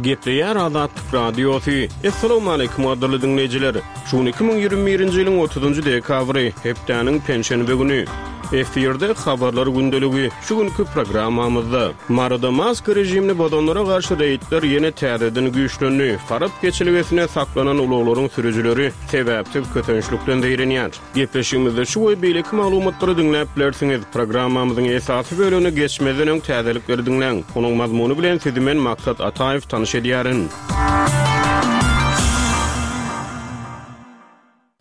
Gepleýär Azatlyk Radiosy. Assalamualaikum gadyrly diňleýjiler. Şu gün 2021-nji ýylyň 30-njy dekabry, hepdäniň penşenbe güni. Efirde habarlar gündeligi. Şu günki programmamyzda Maryda maska režimini bozanlara garşy reýdler ýene täzeden güýçlendi. Farap geçelgesinde saklanan ulaglaryň sürüjileri sebäpsiz kösençlikden zeýrenýär. Gepleşigimizde şu we beýleki maglumatlary diňläp bilersiňiz. Programmamyzyň esasy bölegine geçmezden öň täzelikleri diňläň. Onuň mazmuny bilen sizi men Maksat Ataýew tanyş edýärin.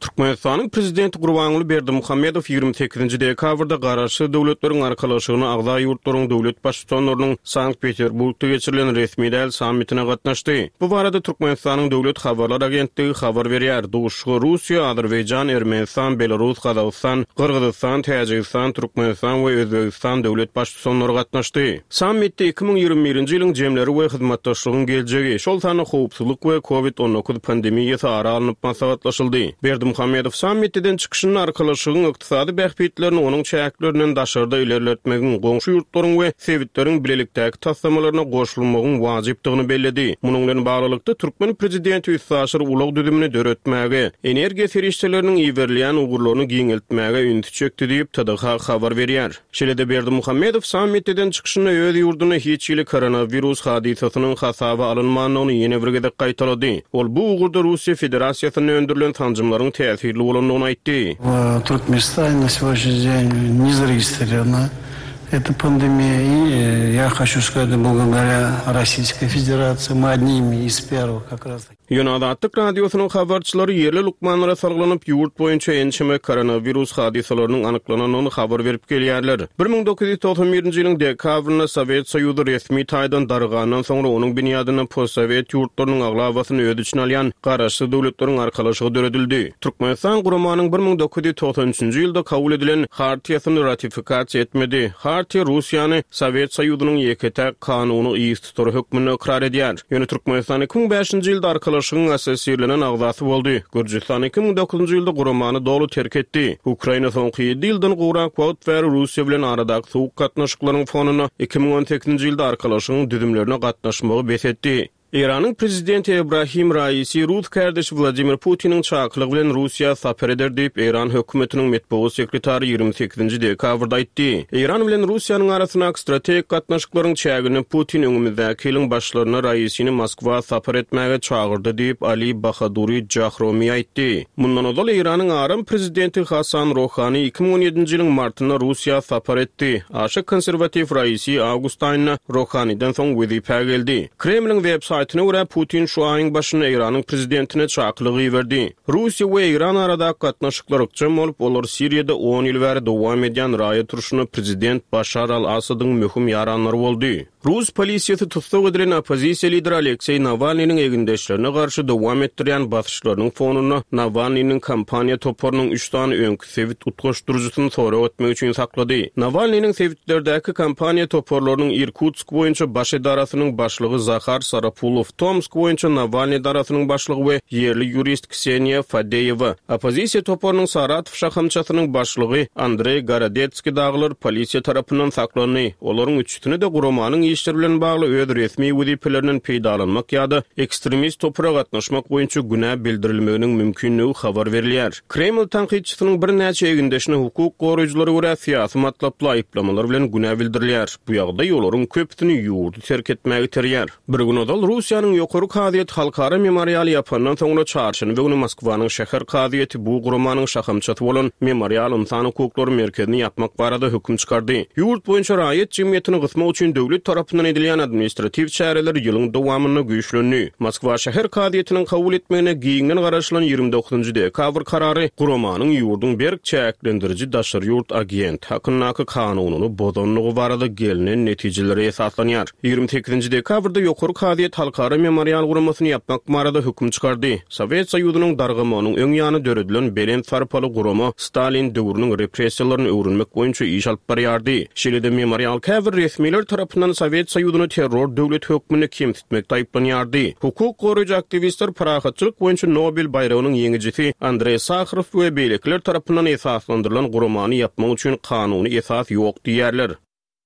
Türkmenistanyň Prezidenti Gurbanguly Berdimuhamedow 28-nji dekabrda Garaşsyz Döwletleriň Arkalaşygyna agza ýurtlaryň döwlet Baştutanlarynyň Sankt-Peterburgda geçirilen resmi däl sammitine gatnaşdy. Bu barada Türkmenistanyň Döwlet habarlar agentligi habar berýär. Duşuşyga Russiýa, Azerbaýjan, Ermenistan, Belarus, Gazagystan, Gyrgyzystan, Täjigistan, Türkmenistan we Özbegistan döwlet Baştutanlary gatnaşdy. Sammitde 2021-nji ýylyň jemleri we hyzmatdaşlygyň geljegi, şol sanda howpsuzlyk we Covid 19 pandemiýasy ara alnyp maslahatlaşyldy. Berdimuhamedow sammitde eden çykyşynda Arkalaşygyň ykdysady bähbitlerini onuň çäklerinden daşarda ilerletmegiň, goňşy ýurtlaryň we sebitleriň bilelikdäki taslamalaryna goşulmagyň wajypdygyny belledi. Munuň bilen baglylykda, türkmen prezidenti üstaşyr ulag düzümini döretmäge, energiýa serişdeleriniň iberilýän ugurlaryny giňeltmäge ünsi çekdi diýip, TDH habar berýär. Şeýle-de Berdimuhamedow sammitde eden çykyşynda öz ýurdunda hiç hili koronawirus hadysasynyň hasaba alynmandygyny ýene bir gezek gaýtalady. Ol bu ugurda Russiýa Federasiýasynda öndürilen sanjymlaryň täsirli bolandygyny aýtdy. W Turkmenistane na сегодняшний день не зарегистрирована эта пандемия. И я хочу сказать, благодаря Российской Федерации мы одними из первых как раз. Ýöne Azatlyk Radiosynyň habarçylary ýerli lukmanlara salgylanyp, ýurt boýunça ençeme koronawirus hadysalarynyň anyklanandygyny habar berip gelýärler. 1991-nji ýylyň dekabrynda Sowet Soýuzy resmi taýdan dargandan soňra onuň binýadynda postsowet ýurtlarynyň aglabasyny öz içine alýan Garaşsyz Döwletleriň Arkalaşygy döredildi. Türkmenistan guramanyň 1993-nji ýylda kabul edilen Hartiýasyny ratifikasiýa etmedi. Hartiýa Russiýany Sowet Soýuzynyň ýeke-täk kanuny yztutary hökmünde ykrar edýär. Ýöne Türkmenistan 2005-nji ýylda Arkalaşygyň assosirlenen agzasy boldy. Gürjüstan 2009-njy ýylda guramany doly terk etdi. Ukraina soňky ýedi ýyldan gowrak wagt bäri Russiýa bilen aradaky sowuk gatnaşyklaryň fonunda 2018-nji ýylda Arkalaşygyň düzümlerine gatnaşmagy bes etdi. Eýranyň prezidenti Ebrahim Raisi rus kärdeşi Wladimir Putiniň çakylygy bilen Russiýa sapar eder diýip, Eýran hökümetiniň metbugat sekretary 28-nji dekabrda aýtdy. Eýran bilen Russiýanyň arasyndaky strategik gatnaşyklaryň çäginde Putin öňümizdäki ýylyň başlarynda Raisini Moskwa sapar etmäge çagyrdy diýip, Ali Bahaduri Jahromi aýtdy. Mundan ozal Eýranyň aram prezidenti Hasan Rohani 2017-nji ýylyň martynda Russiýa sapar etdi. Aşa konserwatiw Raisi awgust aýynda Rohaniden soň wezipä geldi. Kremliň web saýtyna görä, Putin şu aýyň başynda Eýranyň prezidentine çakylyk iberdi. Russiýa we Eýran aradaky gatnaşyklar ykjam bolup, olar Siriýada on ýyl bäri dowam edýän raýat urşunda prezident Başar al-Assadyň möhüm ýaranlary boldy. Rus polisiýasy tussag edilen oppozisiýa lideri Alekseý Nawalnynyň egindeşlerine garşy dowam etdirýän basyşlarynyň fonunda Nawalnynyň kampaniýa toparynyň üç sany öňki sebit utgaşdyryjysyny sorag etmek üçin saklady. Nawalnynyň sebitlerdäki kampaniýa toparlarynyň Irkutsk boýunça baş edarasynyň başlygy Zahar Sarapulow, Tomsk boýunça Nawalny edarasynyň başlygy we ýerli ýurist Kseniýa Fadeýewa, oppozisiýa toparynyň Saratow şahamçasynyň başlygy Andreý Gorodetskiý dagylar polisiýa tarapyndan saklandy. Olaryň üçüsine-de guramanyň işleri bilen bagly öz resmi wezipelerinden peýdalanmak ýa-da ekstremist topara gatnaşmak boýunça günä bildirilmeginiň mümkinligi habar berilýär. Kreml tankytçysynyň birnäçe egindeşine hukuk goraýjylara görä syýasy matlaply aýyplamalar bilen günä bildirilýär. Bu ýagdaý olaryň köpüsini ýurdy terk etmäge iterýär. Bir gün ozal Russiýanyň Ýokary kazyýeti Halkara memorialy ýapandan soňra çarşenbe güni Moskwanyň şäher kazyýeti bu guramanyň şahamçasy bolan Memorial ynsan hukuklary merkezini ýapmak barada höküm çykardy. Ýurt boýunça raýat jemgyýetini gysmak üçin döwlet tarapyndan edilýän administratiw çäreler ýylyň dowamynda güýçlendi. Moskwa şäher kazyýetiniň kabul etmegine giňden garaşylan 29-njy dekabr karary guramanyň ýurduň berk çäklendiriji daşary ýurt agenti hakyndaky kanunyny bozandygy barada gelnen netijelere esaslanýar. 28-nji dekabrda Ýokary kazyýet Halkara Memorial guramasyny ýapmak barada höküm çykardy. Sowet Soýuzynyň dargamagynyň öň ýany döredilen belent sarpaly gurama Stalin döwrüniň repressiýalaryny öwrenmek boýunça iş alyp barýardy. Şeýle-de Memorial käbir resmiler tarapyndan Sowet Soýuzyny terror döwleti hökmünde kemsitmekde aýyplanýardy. Hukuk goraýjy aktiwistler parahatçylyk boýunça Nobel baýragynyň ýeňijisi Andreý Saharow we beýlekiler tarapyndan esaslandyrylan guramany ýapmak üçin kanuny esas ýok diýýärler.